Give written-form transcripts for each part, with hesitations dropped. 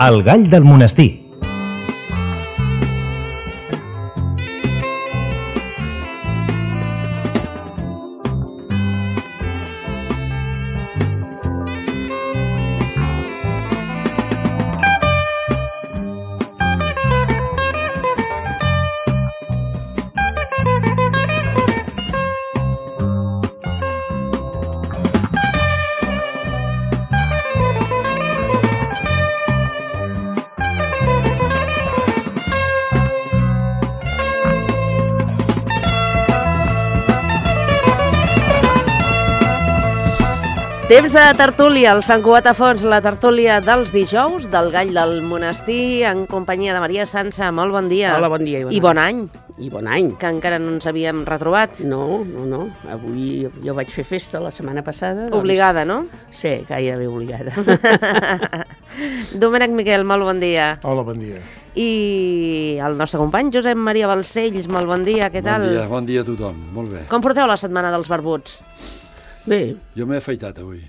El gall del monestir. Temps de tertúlia, el Sant Cugat a Fons, la tertúlia dels dijous, del gall del monestir, en companyia de Maria Sança. Molt bon dia. Hola, bon dia. I bon any. I bon any. Que encara no ens havíem retrobat. No. Avui jo vaig fer festa la setmana passada. Obligada, no? Sí, gairebé obligada. Domènec Miquel, molt bon dia. Hola, bon dia. I el nostre company, Josep Maria Balcells, molt bon dia, què tal? Bon dia a tothom, molt bé. Com porteu la setmana dels barbuts? Bé. Jo m'he afaitat avui.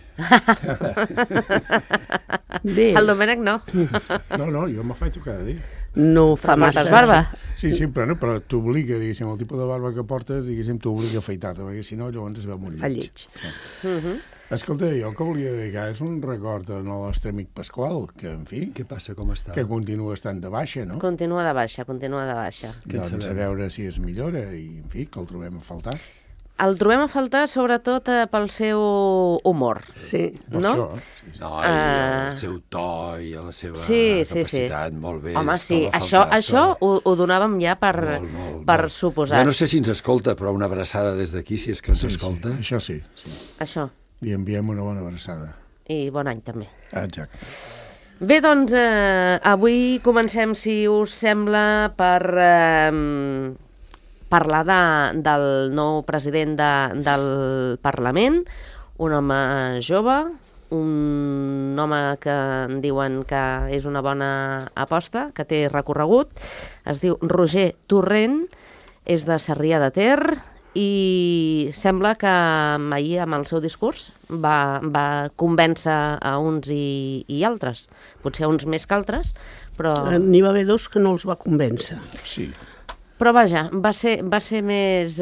Bé. El Domènec no. No, jo m'afaito cada dia. No fa Però massa. portes barba? Sí, però t'obliga, diguéssim, el tipus de barba que portes, diguéssim, t'obliga a afaitar-te, perquè si no, llavors es veu molt Fa lleig. lleig. Sí. Escolta, jo el que volia dedicar és un record al nostre amic Pasqual, que, en fi, Què passa, com està? que continua estant de baixa, no? Continua de baixa. Què en Doncs a sabem? veure si es millora i, en fi, que el trobem a faltar. El trobem a faltar sobretot pel seu humor. Sí. Per No? això, sí. No, i el seu to i la seva Sí. capacitat, molt bé. Home, sí, troba a faltar, això ho donàvem ja per molt. suposat. Ja no sé si ens escolta, però una abraçada des d'aquí, si és que ens Sí, escolta. sí, això sí, sí. Això. Li enviem una bona abraçada. I bon any, també. Exacte. Bé, doncs, avui comencem, si us sembla, per parlar del nou president del Parlament, un home jove, un home que en diuen que és una bona aposta, que té recorregut. Es diu Roger Torrent, és de Sarrià de Ter i sembla que ahir amb el seu discurs va convèncer a uns i altres, potser a uns més que altres, però... N'hi va haver dos que no els va convèncer. Sí. Però vaja, va ser més...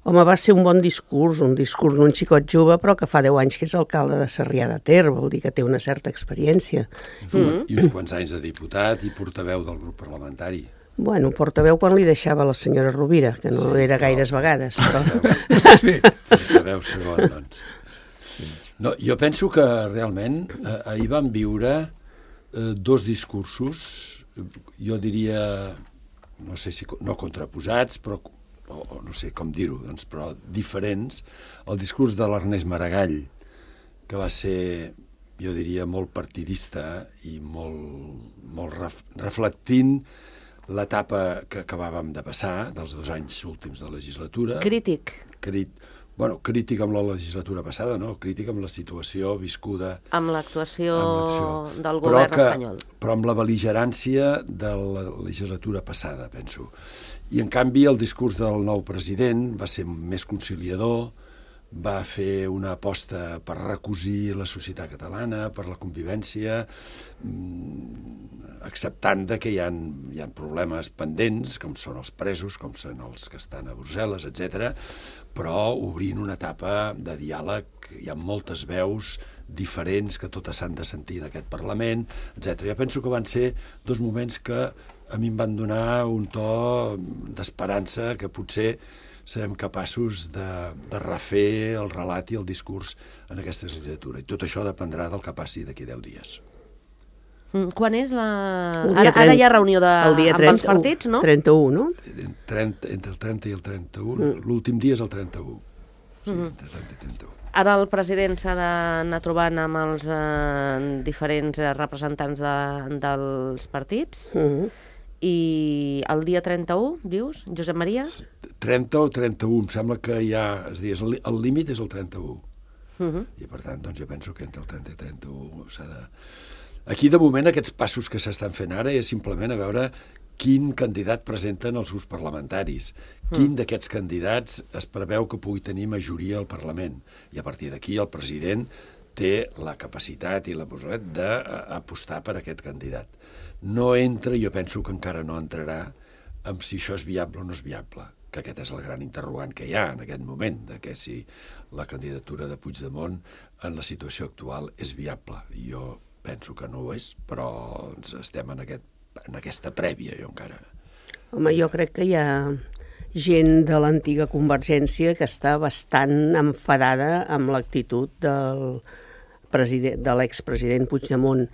Home, va ser un bon discurs, un discurs d'un xicot jove, però que fa 10 anys que és alcalde de Sarrià de Ter, vol dir que té una certa experiència. I uns quants anys de diputat i portaveu del grup parlamentari. Bueno, portaveu quan li deixava la senyora Rovira, que no era gaires vegades, però... Sí. Portaveu segon, doncs. No, jo penso que realment ahir vam viure dos discursos, jo diria, no sé si no contraposats, però o no sé com dir-ho, doncs, però diferents. El discurs de l'Ernest Maragall, que va ser, jo diria, molt partidista i molt reflectint l'etapa que acabàvem de passar, dels 2 anys últims de legislatura. Crític. Crític amb la legislatura passada, no? Crític amb la situació viscuda... Amb l'actuació del govern espanyol. Però amb la bel·ligerància de la legislatura passada, penso. I, en canvi, el discurs del nou president va ser més conciliador, va fer una aposta per recosir la societat catalana, per la convivència, acceptant que hi ha problemes pendents, com són els presos, com són els que estan a Brussel·les, etc., però obrint una etapa de diàleg. Hi ha moltes veus diferents que totes s'han de sentir en aquest Parlament, etc. Jo penso que van ser dos moments que a mi em van donar un to d'esperança que potser serem capaços de refer el relat i el discurs en aquesta legislatura. I tot això dependrà del que passi d'aquí 10 dies. Quan és la... Ara hi ha reunió amb els partits, no? 31, no? Entre el 30 i el 31. L'últim dia és el 31. Sí, entre 30 i 31. Ara el president s'ha d'anar trobant amb els diferents representants dels partits. I el dia 31, dius, Josep Maria? 30 o 31, em sembla que hi ha... És a dir, el límit és el 31. I, per tant, doncs jo penso que entre el 30 i 31 s'ha de... Aquí, de moment, aquests passos que s'estan fent ara és simplement a veure quin candidat presenten els grups parlamentaris. Quin d'aquests candidats es preveu que pugui tenir majoria al Parlament. I a partir d'aquí el president té la capacitat i la possibilitat d'apostar per aquest candidat. No entra, jo penso que encara no entrarà, amb si això és viable o no és viable, que aquest és el gran interrogant que hi ha en aquest moment, de que si la candidatura de Puigdemont en la situació actual és viable. Jo penso que no ho és, però estem en aquesta prèvia, jo encara. Home, jo crec que hi ha gent de l'antiga Convergència que està bastant enfadada amb l'actitud de l'expresident Puigdemont,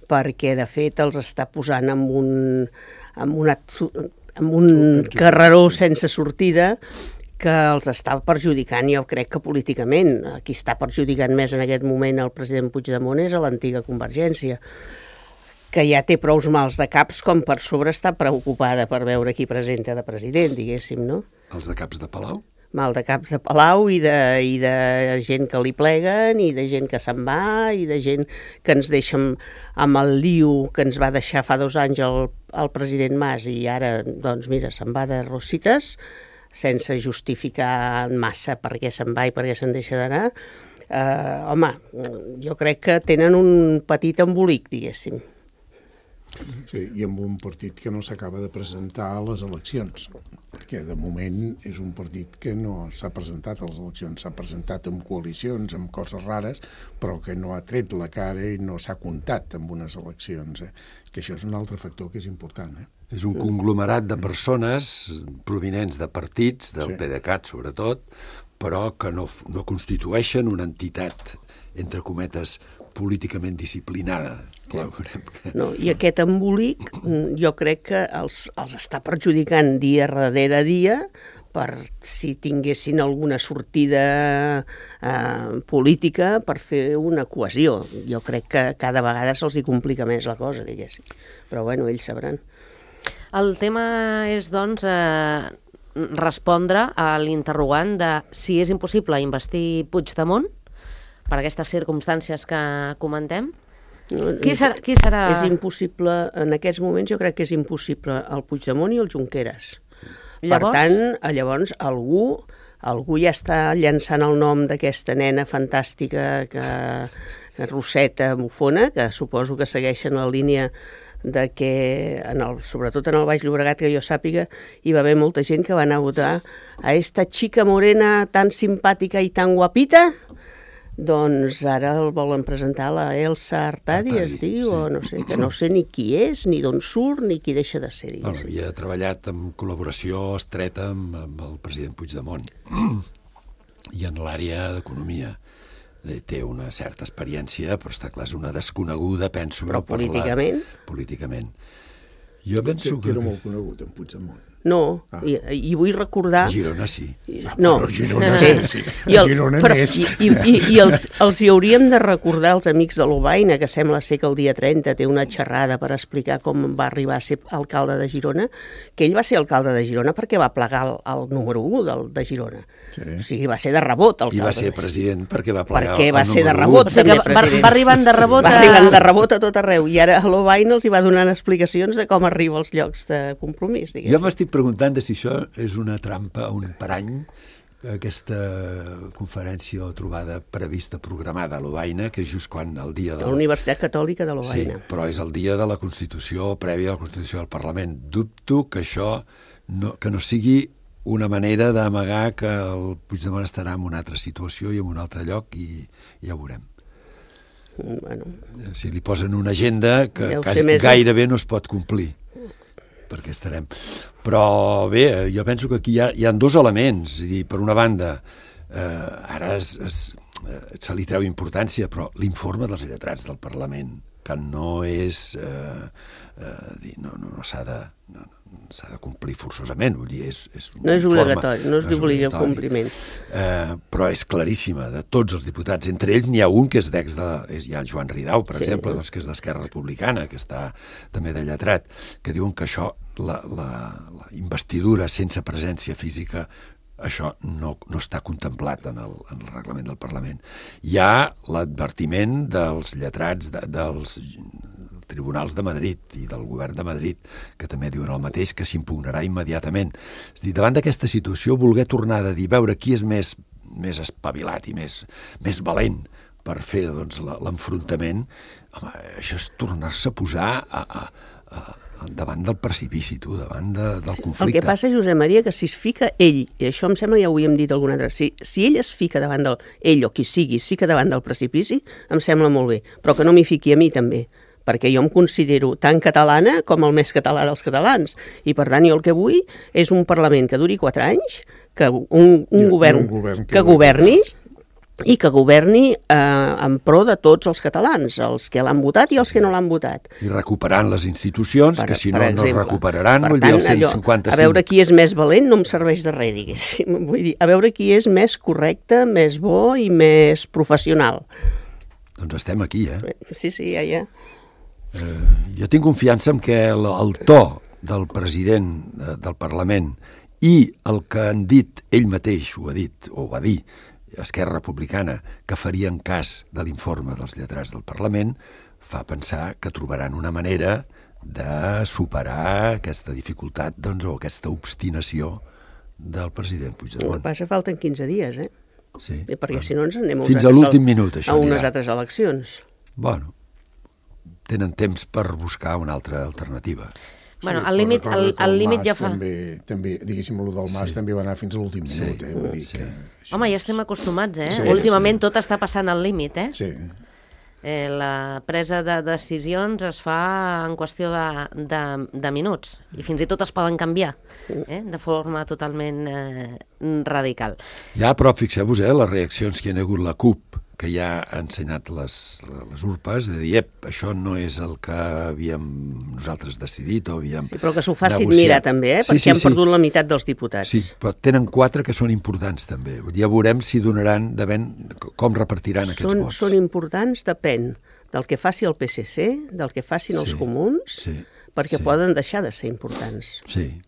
perquè de fet els està posant en un carreró sense sortida que els està perjudicant, jo crec que políticament. Qui està perjudicant més en aquest moment el president Puigdemont és a l'antiga Convergència, que ja té prous mals de caps com per sobre està preocupada per veure qui presenta de president, diguéssim, no? Els de caps de Palau? Mal de caps de Palau i de gent que li pleguen i de gent que se'n va i de gent que ens deixa amb el lío que ens va deixar fa 2 anys el president Mas i ara, doncs mira, se'n va de Rosites sense justificar massa per què se'n va i per què se'n deixa d'anar. Home, jo crec que tenen un petit embolic, diguéssim. Sí, i amb un partit que no s'acaba de presentar a les eleccions, perquè de moment és un partit que no s'ha presentat a les eleccions, s'ha presentat amb coalicions, amb coses rares, però que no ha tret la cara i no s'ha comptat amb unes eleccions. Que això és un altre factor que és important. És un conglomerat de persones provinents de partits, del PDeCAT sobretot, però que no constitueixen una entitat, entre cometes, políticament disciplinada. No, i aquest embolic jo crec que els està perjudicant dia darrere dia per si tinguessin alguna sortida política per fer una cohesió. Jo crec que cada vegada se'ls hi complica més la cosa, diguéssim. Però bueno, ells sabran. El tema és, doncs, respondre a l'interrogant de si és impossible investir Puigdemont per aquestes circumstàncies que comentem. Qui serà? És impossible, en aquests moments jo crec que és impossible el Puigdemont i el Junqueras. Llavors? Per tant, llavors algú ja està llançant el nom d'aquesta nena fantàstica Roseta Mufona, que suposo que segueixen la línia de que, sobretot en el Baix Llobregat, que jo sàpiga, hi va haver molta gent que va anar a votar a esta chica morena tan simpàtica i tan guapita. Doncs ara el volen presentar la Elsa Artadi, es diu, o no sé, que no sé ni qui és, ni d'on surt, ni qui deixa de ser. Havia treballat en col·laboració estreta amb el president Puigdemont i en l'àrea d'economia. Té una certa experiència, però està clar, és una desconeguda, penso. Però políticament? Políticament. Jo penso que... era molt conegut, en Puigdemont. No, i vull recordar... A Girona sí. No, a Girona sí. A Girona més. I els hi hauríem de recordar als amics de l'Obaina, que sembla ser que el dia 30 té una xerrada per explicar com va arribar a ser alcalde de Girona, que ell va ser alcalde de Girona perquè va plegar el número 1 de Girona. Sí. O sigui, va ser de rebot alcalde. I va ser president perquè va plegar perquè va el ser de número 1. rebot. O sigui que va arribant de rebot Va arribant de rebot a tot arreu. I ara a l'Obaina els hi va donant explicacions de com arriba als llocs de compromís, diguéssim. Jo m'estic preguntant si això és una trampa, un parany, aquesta conferència o trobada prevista, programada a l'Obaina, que és just quan el dia de... La Universitat Catòlica de l'Obaina. Sí, però és el dia de la Constitució, prèvia a la Constitució del Parlament. Dubto que això que no sigui una manera d'amagar que el Puigdemont estarà en una altra situació i en un altre lloc i ja ho veurem. Bueno. Si li posen una agenda que gairebé no es pot complir, perquè estarem. Però bé, jo penso que aquí hi ha 2 elements. És a dir, per una banda, ara se li treu importància, però l'informe dels lletrats del Parlament, que no és... no s'ha de complir forçosament, vull dir, és un no és informe, obligatori, no és d'obligat compliment. Però és claríssima, de tots els diputats. Entre ells n'hi ha un que és hi ha el Joan Ridau, per exemple, doncs, que és d'Esquerra Republicana, que està també de lletrat, que diuen que això, la investidura sense presència física, això no està contemplat en el reglament del Parlament. Hi ha l'advertiment dels lletrats dels tribunals de Madrid i del govern de Madrid, que també diuen el mateix, que s'impugnarà immediatament. És a dir, davant d'aquesta situació, voler tornar a dir, veure qui és més espavilat i més valent per fer doncs, l'enfrontament, això és tornar-se a posar davant del precipici, davant del conflicte. El que passa, Josep Maria, que si es fica ell, i això em sembla ja ho havíem dit alguna altra, si ell es fica davant ell o qui sigui, es fica davant del precipici, em sembla molt bé, però que no m'hi fiqui a mi també, perquè jo em considero tan catalana com el més català dels catalans, i per tant jo el que vull és un Parlament que duri 4 anys, que un govern que governi, i que governi en pro de tots els catalans, els que l'han votat i els que no l'han votat. I recuperant les institucions, que si no, no es recuperaran, vull dir, el 155. A veure qui és més valent no em serveix de res, diguéssim. Vull dir, a veure qui és més correcte, més bo i més professional. Doncs estem aquí, Sí, ja. Jo tinc confiança en que el to del president del Parlament i el que han dit, ell mateix ho ha dit, o va dir, Esquerra Republicana, que farien cas de l'informe dels lletrats del Parlament, fa pensar que trobaran una manera de superar aquesta dificultat o aquesta obstinació del president Puigdemont. El que passa, falten 15 dies, Sí. Perquè si no ens anem fins a l'últim minut, això a unes altres eleccions. Bueno, tenen temps per buscar una altra alternativa. Bueno, al límit ja fa... També, diguéssim, el del Mas també va anar fins a l'últim minut, vull dir que... Home, ja estem acostumats, Sí, últimament tot està passant al límit, Sí. La presa de decisions es fa en qüestió de minuts, i fins i tot es poden canviar, de forma totalment radical. Ja, però fixeu-vos, les reaccions que hi ha hagut la CUP, que ja ha ensenyat les urpes, de dir, això no és el que havíem nosaltres decidit o havíem Sí, però que s'ho facin mirar també, perquè han perdut la meitat dels diputats. Sí, però tenen 4 que són importants també. Ja veurem si donaran, com repartiran aquests vots. Són importants, depèn del que faci el PSC, del que facin els comuns, perquè poden deixar de ser importants. Sí.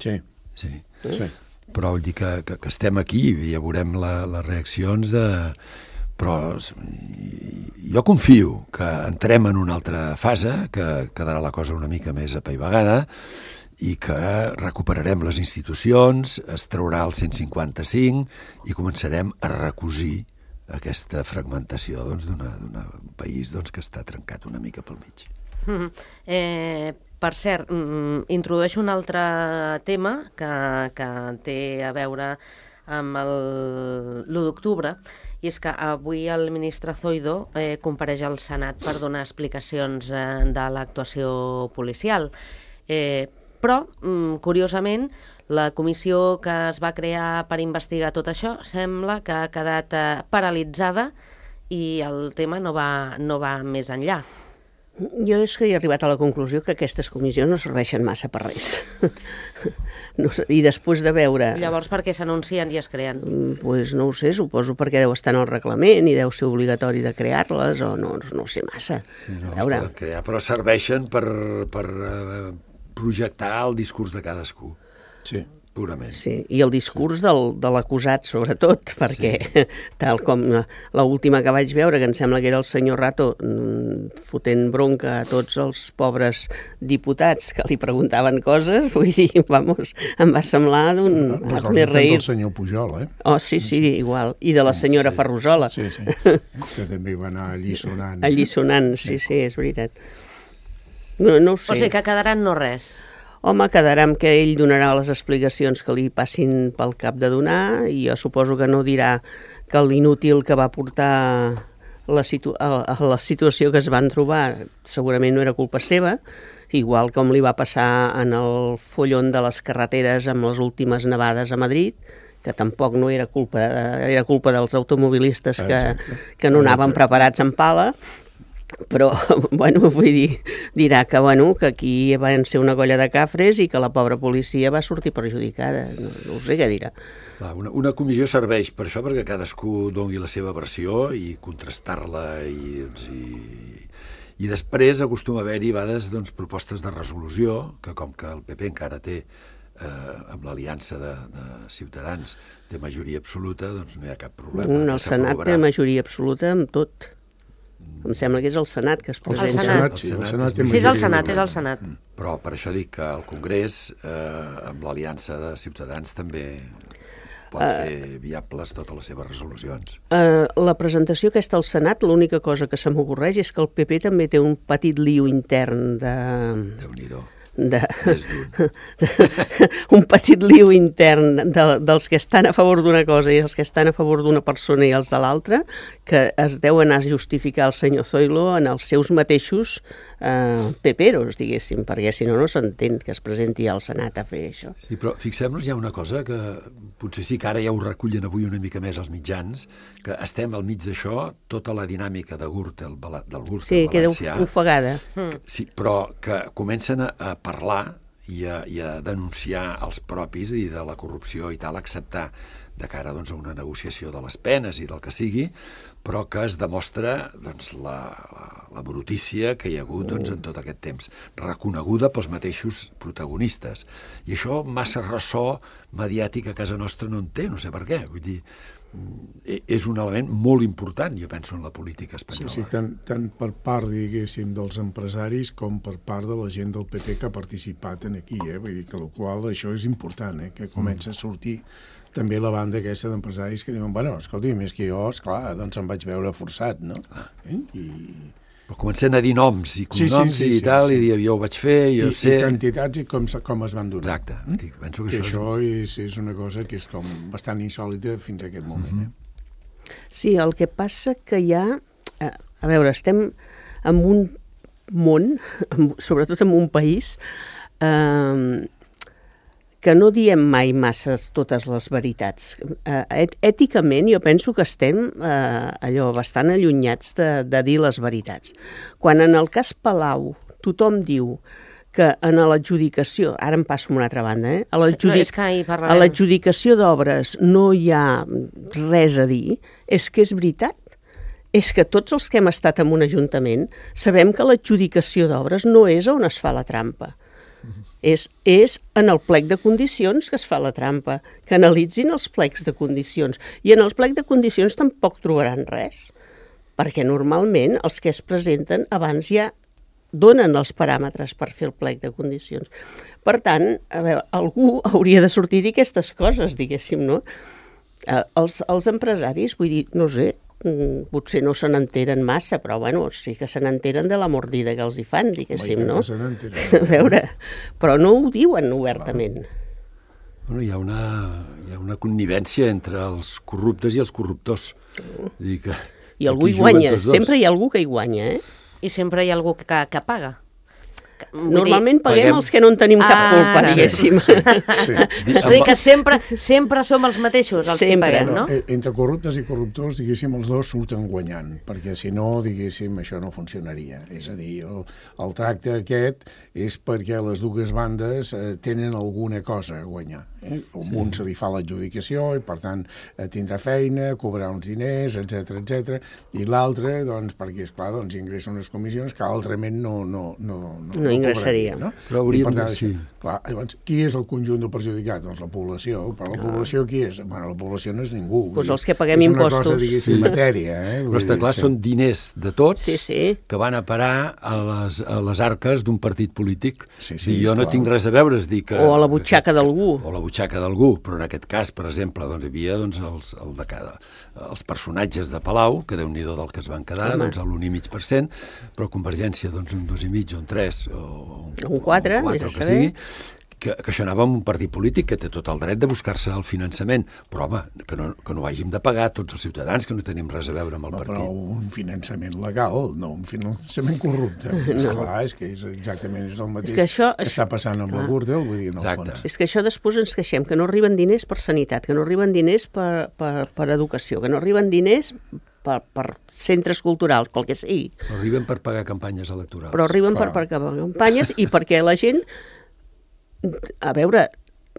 Però vull dir que estem aquí i ja veurem les reaccions Però jo confio que entrem en una altra fase, que quedarà la cosa una mica més apaivagada i que recuperarem les institucions, es traurà el 155 i començarem a recosir aquesta fragmentació d'un país que està trencat una mica pel mig. Per cert, introdueixo un altre tema que té a veure amb l'1 d'octubre, i és que avui el ministre Zoido compareix al Senat per donar explicacions de l'actuació policial. Però, curiosament, la comissió que es va crear per investigar tot això sembla que ha quedat paralitzada i el tema no va més enllà. Jo és que he arribat a la conclusió que aquestes comissions no serveixen massa per res. I després de veure... Llavors, per què s'anuncien i es creen? Doncs no ho sé, suposo perquè deu estar en el reglament i deu ser obligatori de crear-les, o no sé massa. No es poden crear, però serveixen per projectar el discurs de cadascú. Sí. Purament. Sí, i el discurs de l'acusat, sobretot, perquè tal com l'última que vaig veure, que em sembla que era el senyor Rato fotent bronca a tots els pobres diputats que li preguntaven coses, vull dir, em va semblar d'un... Recordo del senyor Pujol, Oh, sí, igual. I de la senyora Ferrusola. Sí, que també va anar alliçonant. Alliçonant, sí, és veritat. No ho sé. O sigui que quedaran no res. Home, quedarà amb que ell donarà les explicacions que li passin pel cap de donar, i jo suposo que no dirà que l'inútil que va portar a la situació que es van trobar segurament no era culpa seva, igual com li va passar en el follon de les carreteres amb les últimes nevades a Madrid, que tampoc no era culpa, era culpa dels automobilistes que no anaven preparats en pala. Però, vull dir, dirà que aquí van ser una colla de cafres i que la pobra policia va sortir perjudicada. No ho sé què dirà. Una comissió serveix per això, perquè cadascú doni la seva versió i contrastar-la i després acostuma a haver-hi a vegades propostes de resolució, que com que el PP encara té amb l'aliança de Ciutadans té majoria absoluta, doncs no hi ha cap problema. El Senat té majoria absoluta amb tot. Em sembla que és el Senat que es presenta. Sí, és el Senat. Però per això dic que el Congrés, amb l'aliança de Ciutadans, també... pot fer viables totes les seves resolucions. La presentació aquesta al Senat, l'única cosa que se m'ocorreix és que el PP també té un petit lío intern Déu-n'hi-do. Un petit lío intern dels que estan a favor d'una cosa i els que estan a favor d'una persona i els de l'altra, que es deu anar a justificar el senyor Zoilo en els seus mateixos peperos, diguéssim, perquè si no, no s'entén que es presenti al Senat a fer això. Sí, però fixem-nos, hi ha una cosa que potser sí que ara ja ho recullen avui una mica més els mitjans, que estem al mig d'això, tota la dinàmica de Gürtel, del Gürtel valencià. Queda ofegada. Sí, però que comencen a parlar i a denunciar els propis i de la corrupció i tal, acceptar de cara doncs, a una negociació de les penes i del que sigui, però que es demostra doncs, la brutícia que hi ha hagut doncs, en tot aquest temps, reconeguda pels mateixos protagonistes. I això massa ressò mediàtic a casa nostra no en té, no sé per què. Vull dir, és un element molt important, jo penso, en la política espanyola. Sí, tant per part, diguéssim, dels empresaris com per part de la gent del PP que ha participat aquí, Vull dir que això és important, que comença a sortir també la banda aquesta d'empresaris que diuen, bueno, escolti, més que jo, esclar, doncs em vaig veure forçat, no? Però comencen a dir noms i cognoms i tal, i dir, jo ho vaig fer, jo sé... I quantitats i com es van donar. Exacte. Penso que això és una cosa que és com bastant insòlita fins a aquest moment. Sí, el que passa que hi ha... A veure, estem en un món, sobretot en un país, que no diem mai massa totes les veritats. Èticament jo penso que estem bastant allunyats de dir les veritats. Quan en el cas Palau tothom diu que en l'adjudicació, ara em passo a una altra banda, a l'adjudicació d'obres no hi ha res a dir, és que és veritat. És que tots els que hem estat en un ajuntament sabem que l'adjudicació d'obres no és on es fa la trampa. És en el plec de condicions que es fa la trampa, que analitzin els plecs de condicions. I en els plecs de condicions tampoc trobaran res, perquè normalment els que es presenten abans ja donen els paràmetres per fer el plec de condicions. Per tant, a veure, algú hauria de sortir a dir aquestes coses, diguéssim, no? Els empresaris, vull dir, no sé, potser no se n'enteren massa, però bueno, sí que se n'enteren de la mordida que els hi fan, diguéssim, no? A veure, però no ho diuen obertament. Bueno, hi ha una connivència entre els corruptes i els corruptors. I algú hi guanya, sempre hi ha algú que hi guanya, I sempre hi ha algú que paga. Normalment paguem els que no en tenim cap culpa, diguéssim. És a dir, que sempre som els mateixos els que paguem, no? Entre corruptes i corruptors, diguéssim, els dos surten guanyant, perquè si no, diguéssim, això no funcionaria. És a dir, el tracte aquest és perquè les dues bandes tenen alguna cosa a guanyar. Un se li fa l'adjudicació i, per tant, tindrà feina, cobrarà uns diners, etc. I l'altre, doncs, perquè, esclar, ingressa unes comissions que altrament no ingressaria. No? Però hauríem de dir, clar, llavors, qui és el conjunt del perjudicat? Doncs la població. Però la població qui és? Bueno, la població no és ningú. Doncs els que paguem impostos. És una cosa, diguéssim, matèria. Però està clar, són diners de tots que van a parar a les arques d'un partit polític. Jo no tinc res a veure, o a la butxaca d'algú. O a la butxaca d'algú, però en aquest cas, per exemple, hi havia els personatges de Palau, que Déu-n'hi-do del que es van quedar, l'1,5%, però Convergència, un 2,5%, o un 3%, o un 4%, o que sigui, que això anava amb un partit polític que té tot el dret de buscar-se el finançament, però home, que no ho hàgim de pagar tots els ciutadans, que no tenim res a veure amb el partit. Però un finançament legal, no un finançament corrupte. Esclar, és que exactament és el mateix que està passant amb la Gürtel, vull dir, en el fons. És que això després ens queixem, que no arriben diners per sanitat, que no arriben diners per educació, que no arriben diners per centres culturals, pel que sigui. Però arriben per pagar campanyes electorals. Però arriben per pagar campanyes i perquè la gent, a veure,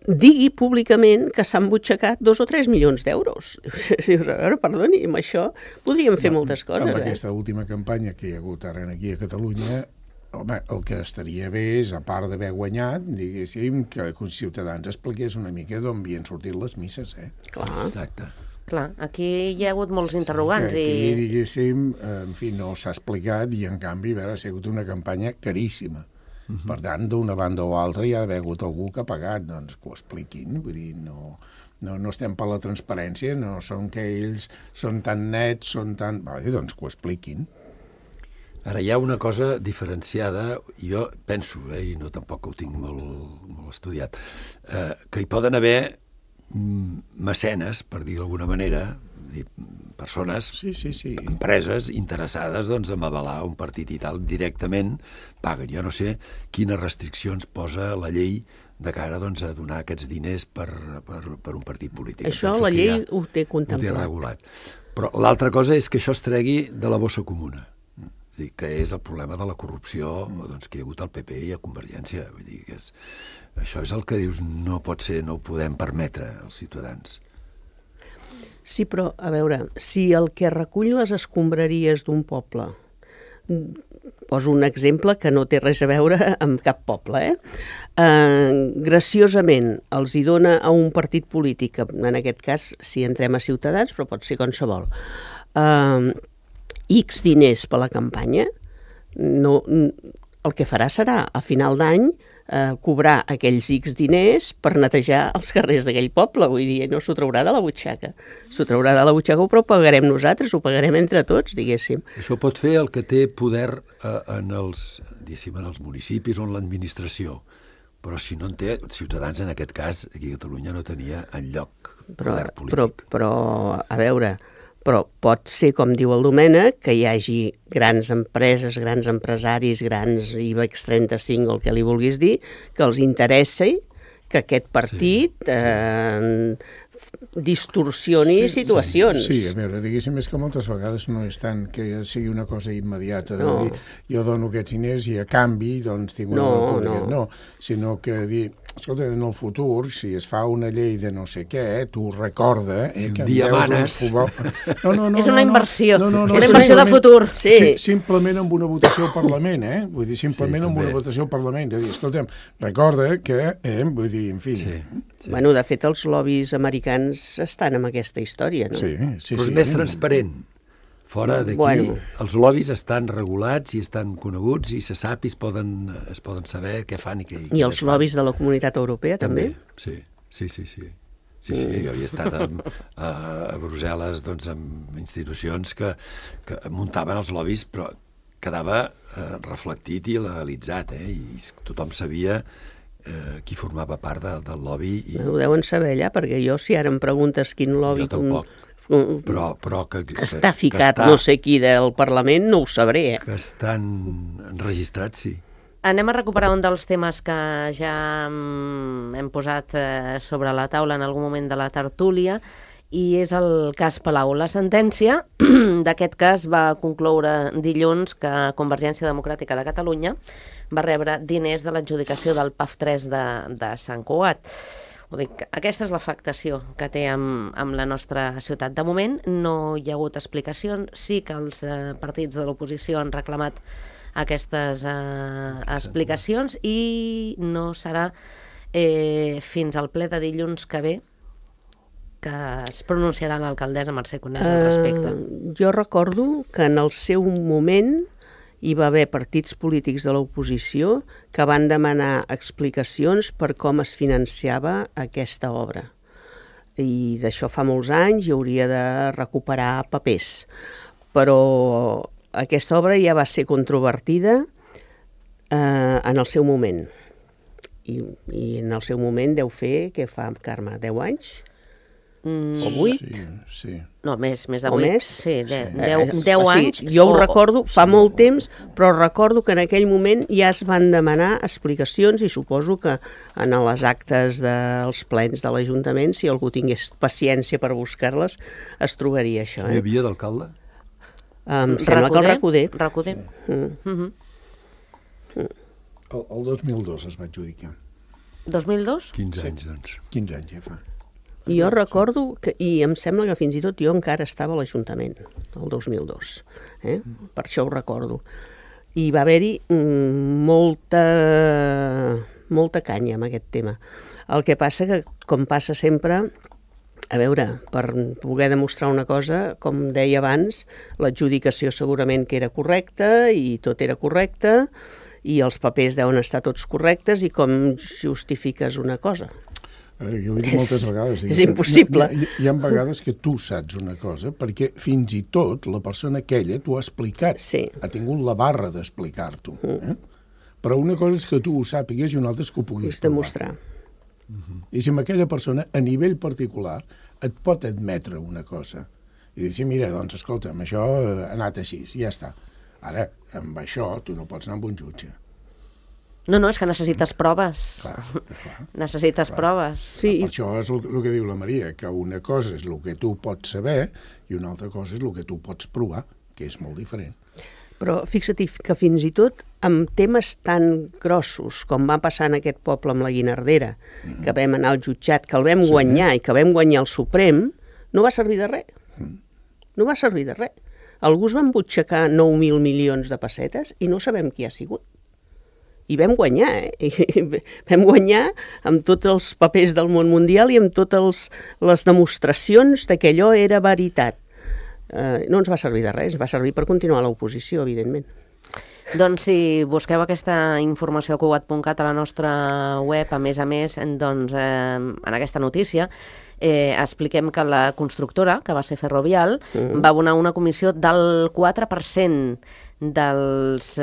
digui públicament que s'han butxacat 2 o 3 milions d'euros. A veure, perdoni, amb això podríem fer moltes coses. Amb aquesta última campanya que hi ha hagut ara aquí a Catalunya, home, el que estaria bé és, a part d'haver guanyat, diguéssim, que els ciutadans expliqués una mica d'on havien sortit les misses, Clar. Exacte. Clar, aquí hi ha hagut molts interrogants. Aquí, diguéssim, en fi, no s'ha explicat i, en canvi, ha sigut una campanya caríssima. Per tant, d'una banda o altra hi ha d'haver hagut algú que ha pagat, doncs que ho expliquin, vull dir, no No estem per la transparència, no són que ells són tan nets, són tan... doncs que ho expliquin. Ara, hi ha una cosa diferenciada, i jo penso, i no tampoc ho tinc molt estudiat, que hi poden haver mecenes, per dir d'alguna manera, persones, empreses interessades doncs, en avalar un partit i tal, directament paguen. Jo no sé quines restriccions posa la llei de cara doncs, a donar aquests diners per un partit polític. Això la llei ho té contemplat. Ho té regulat. Però l'altra cosa és que això es tregui de la bossa comuna. Que és el problema de la corrupció doncs, que hi ha hagut al PP i a Convergència. Vull dir, això és el que dius, no pot ser, no ho podem permetre als ciutadans. Sí, però, a veure, si el que recull les escombraries d'un poble, poso un exemple que no té res a veure amb cap poble, graciosament els hi dona a un partit polític, en aquest cas si entrem a Ciutadans, però pot ser qualsevol, X diners per la campanya, el que farà serà, a final d'any, cobrar aquells X diners per netejar els carrers d'aquell poble. Vull dir, no s'ho traurà de la butxaca. S'ho traurà de la butxaca, però ho pagarem nosaltres, ho pagarem entre tots, diguéssim. Això pot fer el que té poder en els municipis o en l'administració. Però si no en té, Ciutadans en aquest cas, aquí a Catalunya no tenia enlloc poder polític. Però, a veure... Però pot ser, com diu el Domènec, que hi hagi grans empreses, grans empresaris, grans IBEX 35, el que li vulguis dir, que els interessi que aquest partit distorsioni situacions. Sí, a veure, diguéssim, és que moltes vegades no és tant que sigui una cosa immediata, de dir, jo dono aquests diners i a canvi doncs tinc una república. No, sinó que dir, escolta, en el futur, si es fa una llei de no sé què, tu recorda... Si un dia manes... És una inversió, una inversió de futur. Simplement amb una votació al Parlament, Vull dir, simplement amb una votació al Parlament. De dir, escolta'm, recorda que, vull dir, en fi... Bueno, de fet, els lobbies americans estan en aquesta història, no? Sí. Però és més transparent. Fora d'aquí, els lobbies estan regulats i estan coneguts i se sap i es poden saber què fan i què fan. I els lobbies de la Comunitat Europea, també? Sí. Jo havia estat a Brussel·les doncs, amb institucions que muntaven els lobbies, però quedava reflectit i legalitzat, i tothom sabia qui formava part del lobby. Ho deuen saber allà, perquè jo, si ara em preguntes quin lobby... Jo tampoc. Però que està ficat no sé qui del Parlament, no ho sabré. Que estan enregistrats, sí. Anem a recuperar un dels temes que ja hem posat sobre la taula en algun moment de la tertúlia, i és el cas Palau. La sentència d'aquest cas va concloure dilluns que Convergència Democràtica de Catalunya va rebre diners de l'adjudicació del PAF3 de Sant Cugat. Aquesta és l'afectació que té amb la nostra ciutat. De moment no hi ha hagut explicacions, sí que els partits de l'oposició han reclamat aquestes explicacions i no serà fins al ple de dilluns que ve que es pronunciarà l'alcaldessa Mercè Conés al respecte. Jo recordo que en el seu moment hi va haver partits polítics de l'oposició que van demanar explicacions per com es financiava aquesta obra. I d'això fa molts anys i hauria de recuperar papers. Però aquesta obra ja va ser controvertida en el seu moment. I en el seu moment deu fer, què fa, Carme, 10 anys? O 8? Sí. No, més de 8. O més? Sí, 10 anys. Jo ho recordo, fa molt temps, però recordo que en aquell moment ja es van demanar explicacions i suposo que en les actes dels plens de l'Ajuntament, si algú tingués paciència per buscar-les, es trobaria això. Hi havia d'alcalde? Em sembla que el Recoder. El 2002 es va adjudicar. 2002? 15 anys, doncs. 15 anys ja fa. Jo recordo, i em sembla que fins i tot jo encara estava a l'Ajuntament, el 2002. Per això ho recordo. I va haver-hi molta canya amb aquest tema. El que passa que, com passa sempre, a veure, per poder demostrar una cosa, com deia abans, l'adjudicació segurament que era correcta i tot era correcte i els papers deuen estar tots correctes i com justifiques una cosa? A veure, jo ho he dit moltes vegades. És impossible. Hi ha vegades que tu saps una cosa, perquè fins i tot la persona aquella t'ho ha explicat. Sí. Ha tingut la barra d'explicar-t'ho. Però una cosa és que tu ho sàpigues i una altra és que ho puguis demostrar. I si amb aquella persona, a nivell particular, et pot admetre una cosa. I dir, sí, mira, doncs, escolta'm, això ha anat així, ja està. Ara, amb això, tu no pots anar amb un jutge. No, és que necessites proves. Clar. Necessites proves. Sí. Per això és el que diu la Maria, que una cosa és el que tu pots saber i una altra cosa és el que tu pots provar, que és molt diferent. Però fixa't que fins i tot amb temes tan grossos com va passar en aquest poble amb la Guinardera, que vam anar al jutjat, que el vam guanyar i que vam guanyar el Suprem, no va servir de res. No va servir de res. Algú es van butxacar 9.000 milions de pessetes i no sabem qui ha sigut. I vam guanyar, I vam guanyar amb tots els papers del món mundial i amb totes les demostracions que allò era veritat. No ens va servir de res, va servir per continuar l'oposició, evidentment. Doncs si busqueu aquesta informació a cugat.cat a la nostra web, a més, doncs, en aquesta notícia, expliquem que la constructora, que va ser Ferrovial, va abonar una comissió del 4% dels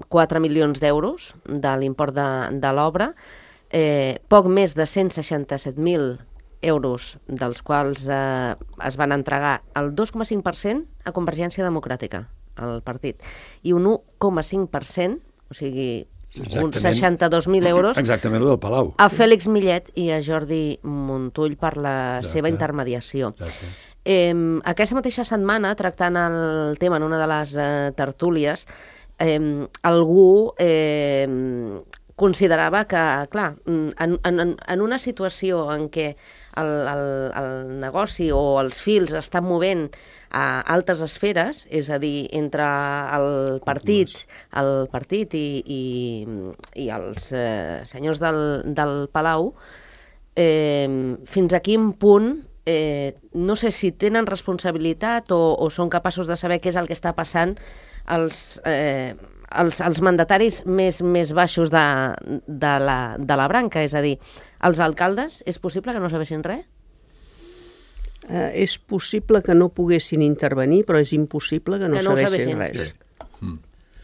4 milions d'euros de l'import de l'obra, poc més de 167.000 euros, dels quals es van entregar el 2,5% a Convergència Democràtica, al partit, i un 1,5%, o sigui, uns 62.000 euros, exactament el del Palau, a Fèlix Millet i a Jordi Montull per la seva intermediació. Aquesta mateixa setmana, tractant el tema en una de les tertúlies, algú considerava que, clar, en una situació en què el negoci o els fils estan movent a altes esferes, és a dir, entre el partit i els senyors del Palau, fins a quin punt, no sé si tenen responsabilitat o són capaços de saber què és el que està passant els mandataris més baixos de la branca, és a dir, els alcaldes, és possible que no sabessin res? És possible que no poguessin intervenir, però és impossible que no sabessin res.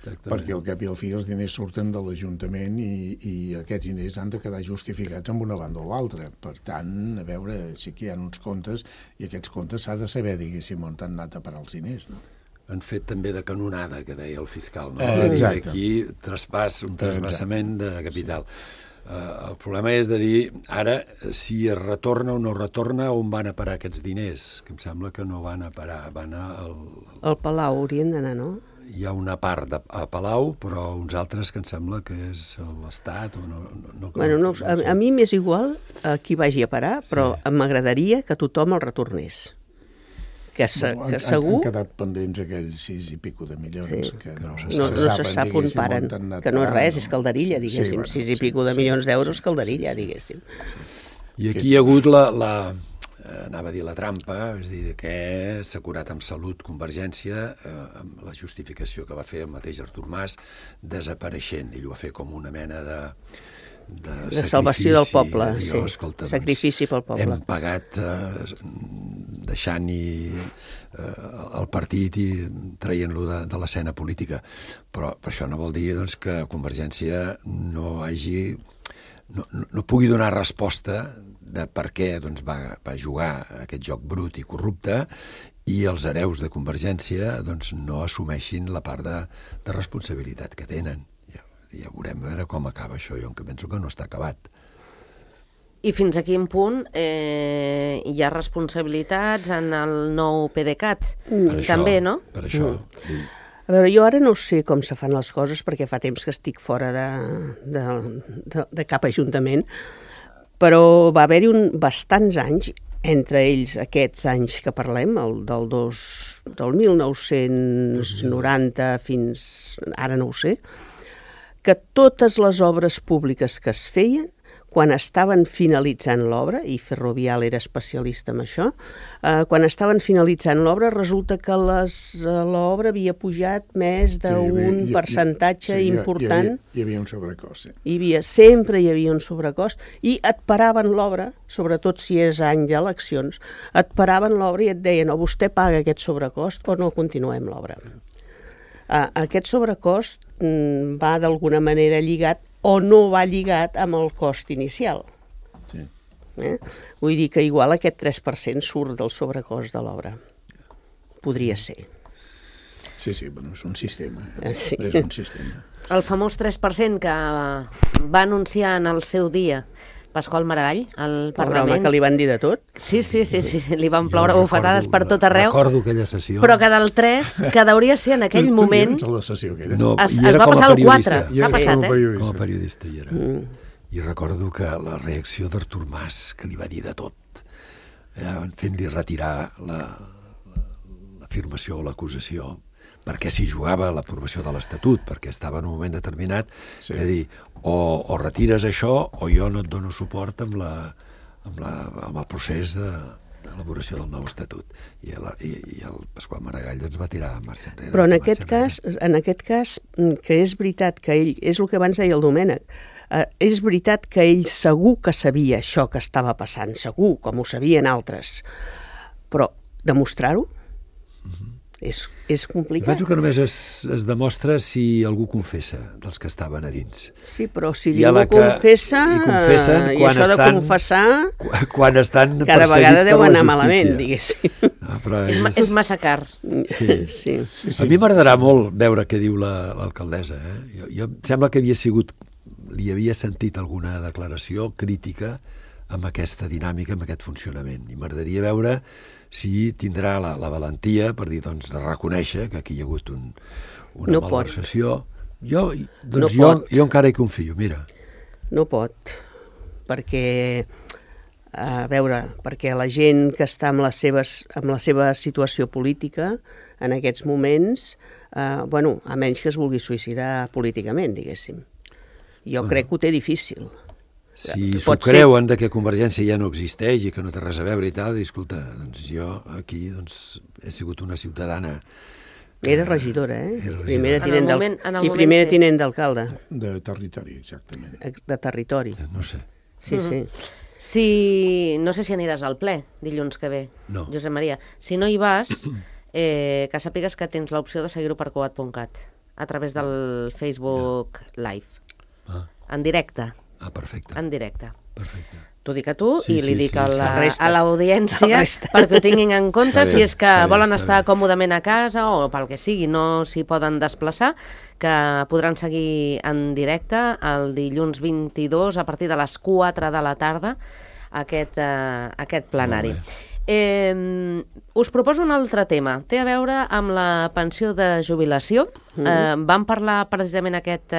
Perquè al cap i al fi els diners surten de l'Ajuntament i aquests diners han de quedar justificats amb una banda o l'altra. Per tant, a veure, sí que hi ha uns comptes i aquests comptes s'ha de saber, diguéssim, on han anat a parar els diners, no? Han fet també de canonada, que deia el fiscal, no? Exacte. Aquí un trasbassament de capital. El problema és de dir, ara, si es retorna o no retorna, on van a parar aquests diners? Que em sembla que no van a parar, van al Palau haurien d'anar, no? Hi ha una part a Palau, però uns altres que em sembla que és l'Estat o no. Bueno, no, a mi m'és igual a qui vagi a parar, però m'agradaria que tothom el retornés. Que segur... Han quedat pendents aquells 6 i pico de milions, que no se sap on paren, que no és res, és calderilla, diguéssim, 6 i pico de milions d'euros, calderilla, diguéssim. I aquí hi ha hagut anava a dir la trampa, és dir, que s'ha curat amb salut Convergència, amb la justificació que va fer el mateix Artur Mas, desapareixent. Ell ho va fer com una mena de salvació del poble, sí. Escolta, sacrifici pel poble. Hem pagat deixant-hi el partit i traient-lo de l'escena política. Però això no vol dir doncs, que Convergència no pugui donar resposta de per què doncs, va jugar aquest joc brut i corrupte i els hereus de Convergència doncs, no assumeixin la part de responsabilitat que tenen. Ja veurem a veure com acaba això. Jo penso que no està acabat. I fins a quin punt hi ha responsabilitats en el nou PDeCAT? També, no? Per això. A veure, jo ara no sé com se fan les coses perquè fa temps que estic fora de cap ajuntament, però va haver-hi bastants anys, entre ells aquests anys que parlem, del 1990 fins ara no ho sé, que totes les obres públiques que es feien, quan estaven finalitzant l'obra, i Ferrovial era especialista en això, quan estaven finalitzant l'obra resulta que l'obra havia pujat més d'un percentatge important. Hi havia un sobrecost. Sempre hi havia un sobrecost i et paraven l'obra, sobretot si és any d'eleccions, et paraven l'obra i et deien o vostè paga aquest sobrecost o no continuem l'obra. Aquest sobrecost va d'alguna manera lligat o no va lligat amb el cost inicial. Sí. Vull dir que igual aquest 3% surt del sobrecost de l'obra. Podria ser. Sí, bueno, és un sistema. Sí. És un sistema. El famós 3% que va anunciar en el seu dia Pasqual Maragall, al Parlament. Home, que li van dir de tot. Sí, li van ploure bufetades per tot arreu. Recordo aquella sessió. Però que del 3, que hauria ser en aquell moment... Tu la sessió que era. No, es va passar al 4. S'ha passat, Com a periodista hi era. I recordo que la reacció d'Artur Mas, que li va dir de tot, fent-li retirar l'afirmació o l'acusació, perquè s'hi jugava l'aprovació de l'Estatut, perquè estava en un moment determinat, és a dir, o retires això o jo no et dono suport amb el procés d'elaboració del nou Estatut. I el Pasqual Maragall doncs va tirar marxa enrere. Però en aquest cas, que és veritat que ell, és el que abans deia el Domènec, és veritat que ell segur que sabia això que estava passant, segur, com ho sabien altres, però demostrar-ho és complicat. Penso que només es demostra si algú confessa dels que estaven a dins. Sí, però si ningú confessa, i això de confessar, quan estan cada vegada deu anar malament, diguéssim. És massa car. Sí. A mi m'agradarà molt veure què diu l'alcaldessa. Jo em sembla que li havia sentit alguna declaració crítica amb aquesta dinàmica, amb aquest funcionament. I m'agradaria veure si tindrà la valentia per dir, doncs, de reconèixer que aquí hi ha hagut una malversació. Jo encara hi confio, mira. No pot, perquè, perquè la gent que està amb la seva situació política en aquests moments, a menys que es vulgui suïcidar políticament, diguéssim. Jo crec que ho té difícil. Si s'ho creuen que Convergència ja no existeix i que no té res a veure i tal, escolta, doncs jo aquí he sigut una ciutadana... Era regidora, Primera tinent d'alcalde. De territori, exactament. De territori. No sé. Sí. No sé si aniràs al ple dilluns que ve, Josep Maria. Si no hi vas, que sàpigues que tens l'opció de seguir-ho per coat.cat a través del Facebook Live. En directe. Perfecte. En directe. Perfecte. T'ho dic a tu i li dic a l'audiència perquè ho tinguin en compte si és que volen estar còmodament a casa o pel que sigui, no s'hi poden desplaçar, que podran seguir en directe el dilluns 22 a partir de les 4 de la tarda aquest plenari. Us proposo un altre tema. Té a veure amb la pensió de jubilació. Vam parlar precisament aquest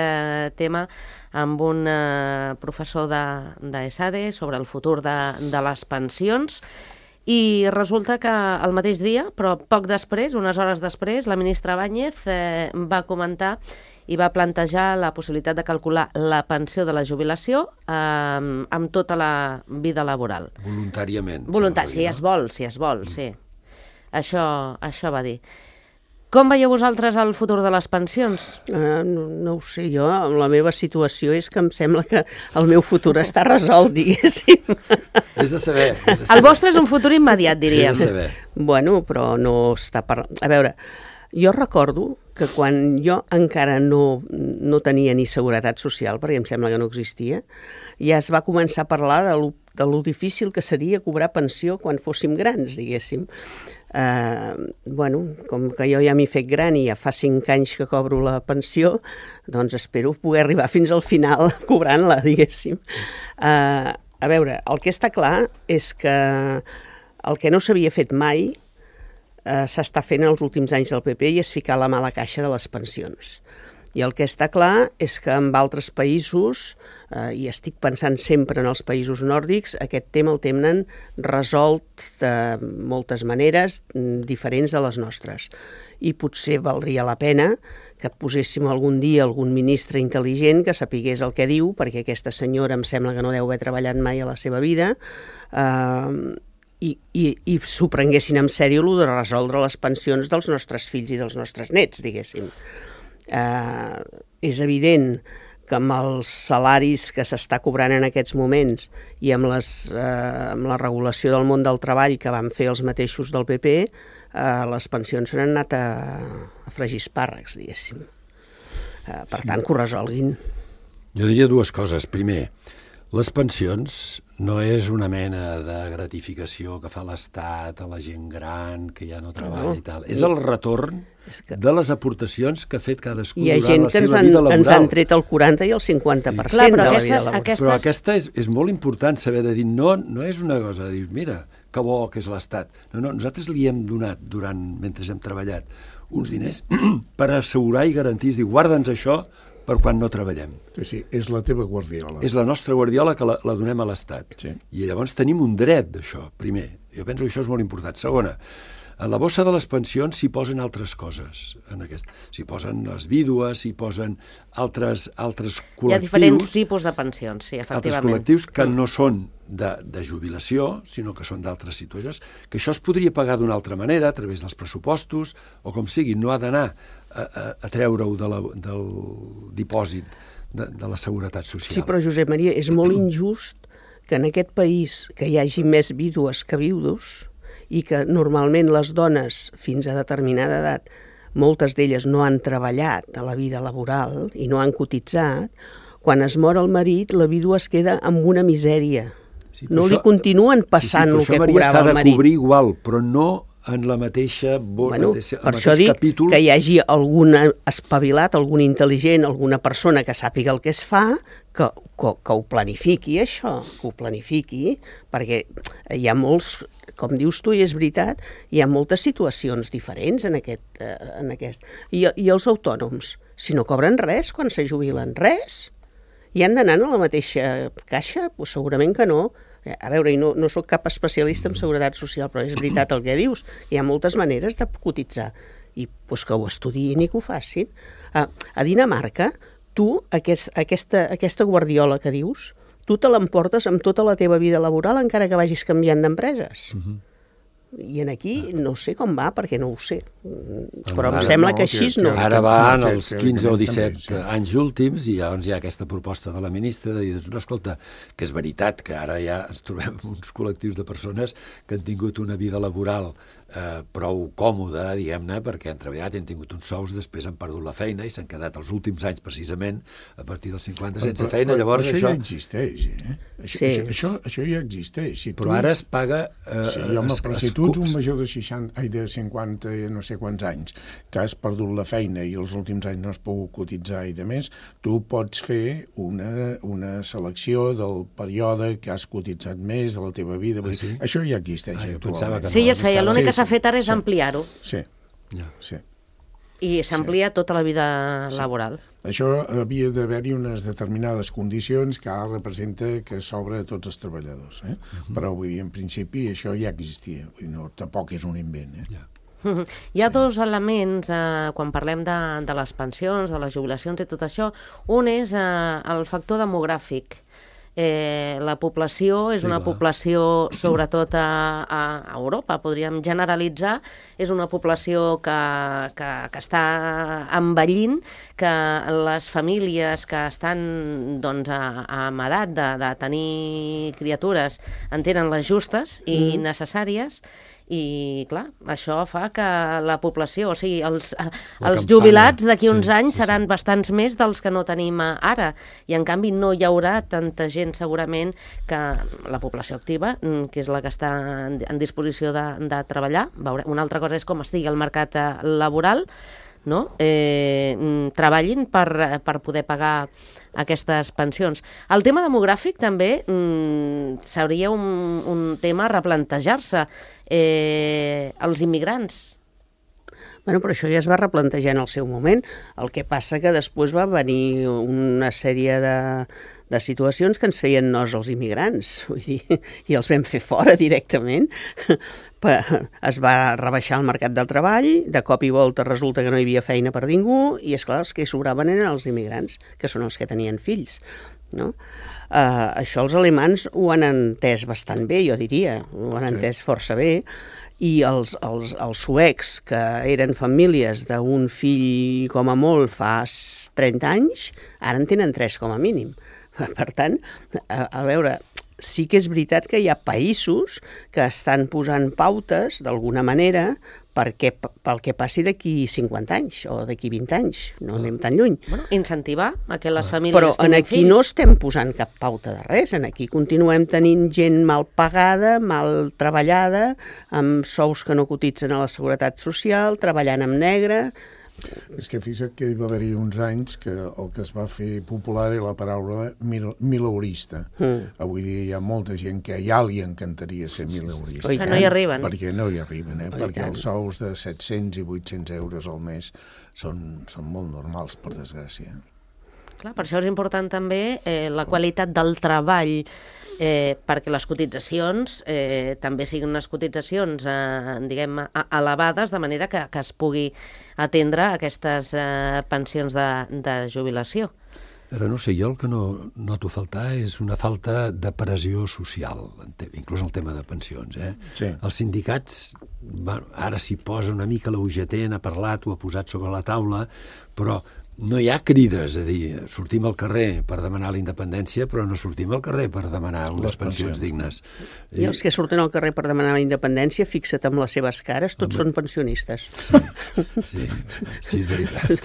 tema amb un professor d'ESADE sobre el futur de les pensions i resulta que el mateix dia, però poc després, unes hores després, la ministra Báñez va comentar i va plantejar la possibilitat de calcular la pensió de la jubilació amb tota la vida laboral. Voluntàriament. Si es vol, sí. Això va dir. Com veieu vosaltres el futur de les pensions? No ho sé, jo, la meva situació és que em sembla que el meu futur està resolt, diguéssim. És de saber. El vostre és un futur immediat, diríem. És de saber. Bueno, però no està A veure, jo recordo que quan jo encara no tenia ni seguretat social, perquè em sembla que no existia, ja es va començar a parlar de lo difícil que seria cobrar pensió quan fóssim grans, diguéssim. Com que jo ja m'he fet gran i ja fa 5 anys que cobro la pensió, doncs espero poder arribar fins al final cobrant-la, diguéssim. A veure, el que està clar és que el que no s'havia fet mai s'està fent els últims anys del PP i és ficar la mà a la caixa de les pensions. I el que està clar és que en altres països, i estic pensant sempre en els països nòrdics, aquest tema el tenen resolt de moltes maneres diferents de les nostres. I potser valdria la pena que que poséssim algun dia algun ministre intel·ligent que sapigués el que diu, perquè aquesta senyora em sembla que no deu haver treballat mai a la seva vida, i s'ho prenguessin en sèrio el de resoldre les pensions dels nostres fills i dels nostres nets, diguéssim. És evident que amb els salaris que s'està cobrant en aquests moments i amb la regulació del món del treball que van fer els mateixos del PP, les pensions s'han anat a fregir espàrrecs, diguéssim. Per tant, que ho resolguin. Jo diria dues coses. Primer, les pensions no és una mena de gratificació que fa l'Estat a la gent gran que ja no treballa i tal. És el retorn de les aportacions que ha fet cadascú durant la seva vida laboral. Hi ha gent que ens han tret el 40 i el 50% de la vida laboral. Però aquesta és molt important saber de dir, no és una cosa de dir, mira, que bo que és l'Estat. No, nosaltres li hem donat, mentre hem treballat, uns diners per assegurar i garantir, dir, guarda'ns això per quan no treballem. Sí, és la teva guardiola. És la nostra guardiola que la donem a l'Estat. Sí. I llavors tenim un dret d'això, primer. Jo penso que això és molt important. Segona, a la bossa de les pensions s'hi posen altres coses. S'hi posen les vídues, s'hi posen altres col·lectius. Hi ha diferents tipus de pensions, sí, efectivament. Altres col·lectius que no són de jubilació, sinó que són d'altres situacions, que això es podria pagar d'una altra manera, a través dels pressupostos, o com sigui, no ha d'anar a treure-ho del dipòsit de la Seguretat Social. Sí, però Josep Maria, és molt injust que en aquest país que hi hagi més vídues que viudos i que normalment les dones fins a determinada edat, moltes d'elles no han treballat a la vida laboral i no han cotitzat, quan es mor el marit, la vídua es queda amb una misèria. Sí, no li continuen passant el que cobrava el marit. Això, Maria, s'ha de cobrir igual, però no en la mateixa per això dic capítol. Que hi hagi algun espavilat, algun intel·ligent, alguna persona que sàpiga el que es fa, que ho planifiqui, això, que ho planifiqui, perquè hi ha molts, com dius tu, i és veritat, hi ha moltes situacions diferents en aquest. I els autònoms, si no cobren res quan se jubilen, res, i han d'anar a la mateixa caixa? Pues segurament que no. A veure, no soc cap especialista en seguretat social, però és veritat el que dius. Hi ha moltes maneres de cotitzar. I pues, que ho estudiïn i que ho facin. A Dinamarca, tu, aquesta guardiola que dius, tu te l'emportes amb tota la teva vida laboral encara que vagis canviant d'empreses. I aquí no sé com va, perquè no ho sé. Però em sembla que així no. Ara van els 15 o 17 anys últims i llavors hi ha aquesta proposta de la ministra de dir, escolta, que és veritat que ara ja ens trobem uns col·lectius de persones que han tingut una vida laboral prou còmoda, diguem-ne, perquè han treballat i han tingut uns sous, després han perdut la feina i s'han quedat els últims anys, precisament, a partir dels 50 sense feina. Llavors això ja existeix, Això ja existeix. Però ara es paga... Sí, home, però si tu ets un major de 50 no sé quants anys, que has perdut la feina i els últims anys no has pogut cotitzar i de més, tu pots fer una selecció del període que has cotitzat més de la teva vida. Sí? Això ja existeix. Sí, ja es feia. L'únic que s'ha fet ara és ampliar-ho. Sí. I s'amplia tota la vida laboral. Això havia d'haver-hi unes determinades condicions que ara representa que s'obre a tots els treballadors. Però vull dir, en principi això ja existia. Vull dir, no, tampoc és un invent. Hi ha dos elements quan parlem de les pensions, de les jubilacions i tot això. Un és el factor demogràfic. La població és una població, sobretot a Europa, podríem generalitzar, és una població que està envellint, que les famílies que estan amb edat de tenir criatures en tenen les justes i necessàries, i clar, això fa que la població, o sigui, els jubilats d'aquí uns anys seran bastants més dels que no tenim ara, i en canvi no hi haurà tanta gent segurament que la població activa, que és la que està en disposició de treballar. Una altra cosa és com estigui el mercat laboral, no? Treballin per poder pagar aquestes pensions. El tema demogràfic també seria un tema a replantejar-se. Els immigrants. Bueno, però això ja es va replantejar en el seu moment. El que passa que després va venir una sèrie de situacions que ens feien nos els immigrants, vull dir, i els vam fer fora directament. es va rebaixar el mercat del treball, de cop i volta resulta que no hi havia feina per ningú, i esclar, els que sobraven eren els immigrants, que són els que tenien fills, no? Això els alemans ho han entès bastant bé, jo diria, ho han entès força bé, i els suecs, que eren famílies d'un fill com a molt fa 30 anys, ara en tenen 3 com a mínim. Per tant, a veure, sí que és veritat que hi ha països que estan posant pautes, d'alguna manera, pel que passi d'aquí 50 anys o d'aquí 20 anys, no anem tan lluny. Bueno, incentivar a que les famílies Però tinguin aquí fills. no estem posant cap pauta de res, aquí continuem tenint gent mal pagada, mal treballada, amb sous que no cotitzen a la Seguretat Social, treballant amb negre. És que fixa't que hi va haver-hi uns anys que el que es va fer popular era la paraula mileurista. Avui dia hi ha molta gent que ja li encantaria ser mileurista. Que no hi arriben. Perquè no hi arriben, perquè els sous de 700 i 800 euros al mes són molt normals, per desgràcia. Clar, per això és important també la qualitat del treball, perquè les cotitzacions també siguin unes cotitzacions diguem, elevades, de manera que es pugui atendre aquestes pensions de jubilació. Ara no sé, jo el que no noto faltar és una falta de pressió social, inclús el tema de pensions. Sí. Els sindicats, ara s'hi posa una mica la UGT, n'ha parlat, ho ha posat sobre la taula, però no hi ha crides, és a dir, sortim al carrer per demanar la independència, però no sortim al carrer per demanar unes pensions dignes. I els que surten al carrer per demanar la independència, fixa't amb les seves cares, tots són pensionistes. Sí, és veritat.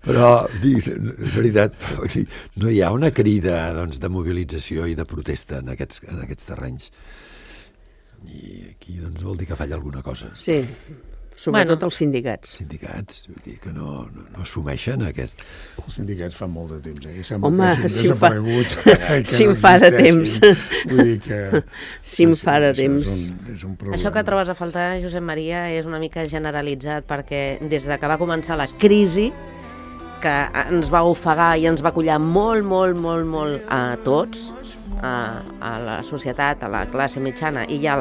Però, és veritat, no hi ha una crida de mobilització i de protesta en aquests terrenys. I aquí vol dir que falla alguna cosa. Sí. Sobretot els sindicats. Sindicats, vull dir que no assumeixen aquest... Els sindicats fan molt de temps, que sembla Home, que hagin desaparegut. Si em fa de temps. Vull dir que... Si em fa de temps. És un problema. Això que trobes a faltar, Josep Maria, és una mica generalitzat, perquè des de que va començar la crisi, que ens va ofegar i ens va collar molt a tots, a la societat, a la classe mitjana i ja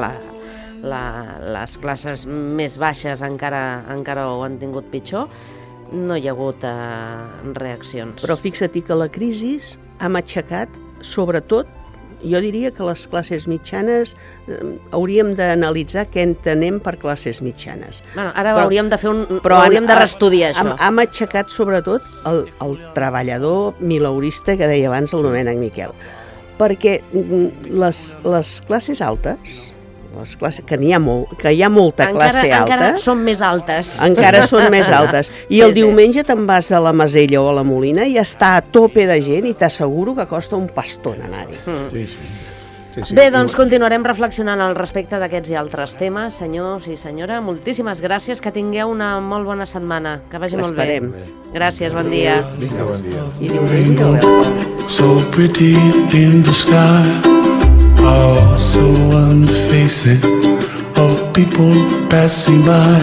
les classes més baixes encara ho han tingut pitjor, no hi ha hagut reaccions. Però fixa't que la crisi ha matxacat, sobretot, jo diria que les classes mitjanes hauríem d'analitzar què entenem per classes mitjanes. Bueno, ara hauríem de reestudiar això. Ha matxacat sobretot el treballador mileurista que deia abans el Domènec Miquel. Perquè les classes altes, que hi ha molta classe alta... Encara són més altes. Encara són més altes. I el diumenge te'n vas a la Masella o a la Molina i està a tope de gent i t'asseguro que costa un pastón anar-hi. Sí. Bé, doncs continuarem reflexionant al respecte d'aquests i altres temes. Senyors i senyora, moltíssimes gràcies, que tingueu una molt bona setmana, que vagi molt bé. Gràcies, bon dia. Vinga, bon dia. I diumenge so pretty in the sky, so on the faces of people passing by.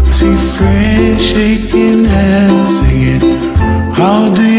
I see friends shaking hands, singing, how do you